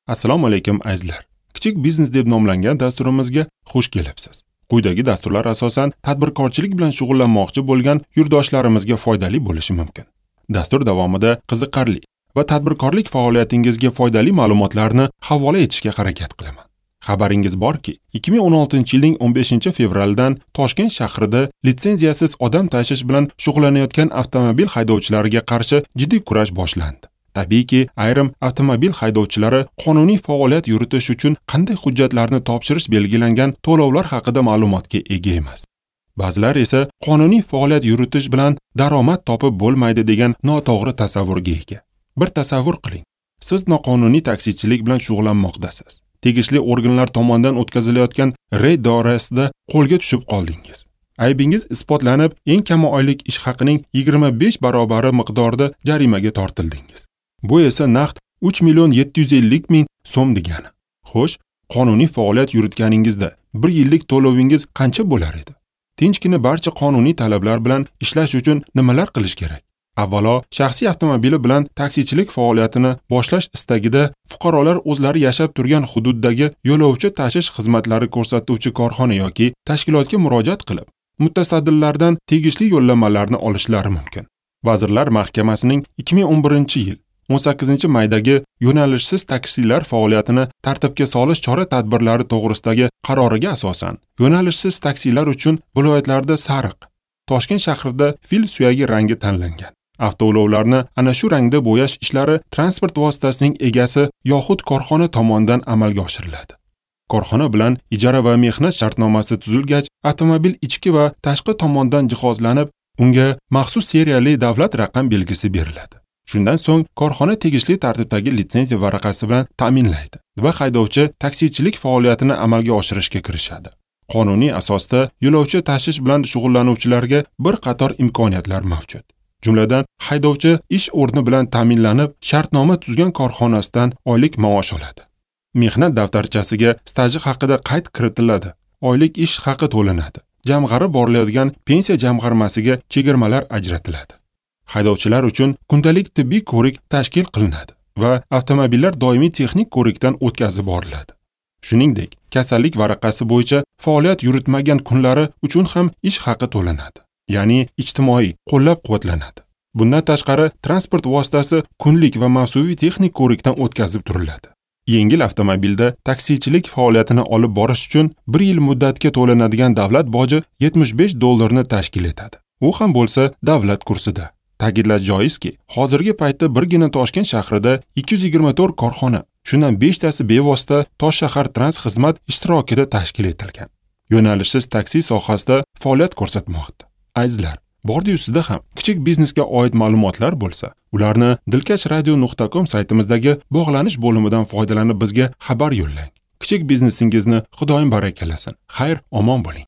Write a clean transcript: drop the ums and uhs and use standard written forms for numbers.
Assalomu alaykum azizlar. Kichik biznes deb nomlangan dasturimizga xush kelibsiz. Quyidagi dasturlar asosan tadbirkorchilik bilan shug'ullanmoqchi bo'lgan yurtdoshlarimizga foydali bo'lishi mumkin. Dastur davomida qiziqarli va tadbirkorlik faoliyatingizga foydali ma'lumotlarni havola etishga harakat qilaman. Xabaringiz borki, 2016-yilning 15-fevralidan Toshkent shahrida litsenziyasiz odam tashish bilan shug'ullanayotgan avtomobil haydovchilariga qarshi jiddiy kurash boshlandi. Tabiiyki, ayrim avtomobil haydovchilari qonuniy faoliyat yuritish uchun qanday hujjatlarni topshirish belgilangan to'lovlar haqida ma'lumotga ega emas. Ba'zilar esa qonuniy faoliyat yuritish bilan daromad topib bo'lmaydi degan noto'g'ri tasavvurga ega. Bir tasavvur qiling. Siz noqonuniy taksichilik bilan shug'ullanmoqdasiz. Tegishli organlar tomonidan o'tkazilayotgan reyd doirasida qo'lga tushib qoldingiz. Aybingiz isbotlanib, eng kami oylik ish haqining 25 barobari miqdorida jarimaga tortildingiz. Bu esa naqd 3 750 000 so'm degani. Xo'sh, qonuniy faoliyat yuritganingizda bir yillik to'lovingiz qancha bo'lar edi? Tinchgina barcha qonuniy talablar bilan ishlash uchun nimalar qilish kerak? Avvalo, shaxsiy avtomobili bilan taksichilik faoliyatini boshlash istagida fuqarolar o'zlari yashab turgan hududdagi yo'lovchi tashish xizmatlari ko'rsatuvchi korxona yoki tashkilotga murojaat qilib, mutasaddilardan tegishli yo'llanmalarni olishlari mumkin. Vazirlar Mahkamasining 2011-yil 18-maydagi yo'nalishsiz taksilar faoliyatini tartibga solish chora-tadbirlari to'g'risidagi qaroriga asosan, yo'nalishsiz taksilar uchun viloyatlarda sariq, Toshkent shahrida fil suyagi rangi tanlangan. Avtoulovlarni ana shu rangda bo'yash ishlari transport vositasining egasi yoxud korxona tomonidan amalga oshiriladi. Korxona bilan ijara va mehnat shartnomasi tuzilgach, avtomobil ichki va tashqi tomondan jihozlanib, unga maxsus seriyali davlat raqam belgisi beriladi. Shundan so'ng korxona tegishli tartibdagi litsenziya varaqasi bilan ta'minlaydi va haydovchi taksichilik faoliyatini amalga oshirishga kirishadi. Qonuniy asosda yo'lovchi tashish bilan shug'ullanuvchilarga bir qator imkoniyatlar mavjud. Jumladan, haydovchi ish o'rni bilan ta'minlanib, shartnoma tuzgan korxonasidan oylik maosh oladi. Mehnat daftarchasiga staji haqida qayd kiritiladi, oylik ish haqi to'lanadi, jamg'arib boriladigan pensiya jamg'armasiga chegirmalar ajratiladi. Haydovchilar uchun kundalik tibbiy ko'rik tashkil qilinadi va avtomobillar doimiy texnik ko'rikdan o'tkazib boriladi. Shuningdek, kasallik varaqasi bo'yicha faoliyat yuritmagan kunlari uchun ham ish haqi to'lanadi, ya'ni ijtimoiy qo'llab-quvvatlanadi. Bundan tashqari, transport vositasi kunlik va mavsumiy texnik ko'rikdan o'tkazib turiladi. Yengil avtomobilda taksichilik faoliyatini olib borish uchun 1 yil muddatga to'lanadigan davlat boji $75 tashkil etadi. U ham bo'lsa davlat kursida. Ta'kidlash joizki, hozirgi paytda birgina Toshkent shahrida 224 korxona, shundan 5 tasi bevosita Toshshahar Trans xizmat ishtirokida tashkil etilgan. Yo'nalishsiz taksi sohasida faoliyat ko'rsatmoqda. Azizlar, bordi-yu sizda ham kichik biznesga oid ma'lumotlar bo'lsa, ularni dilkashradio.com saytimizdagi bog'lanish bo'limidan foydalanib bizga xabar yo'llang. Kichik biznesingizni Xudoyim barakalasin. Xayr, omon bo'ling.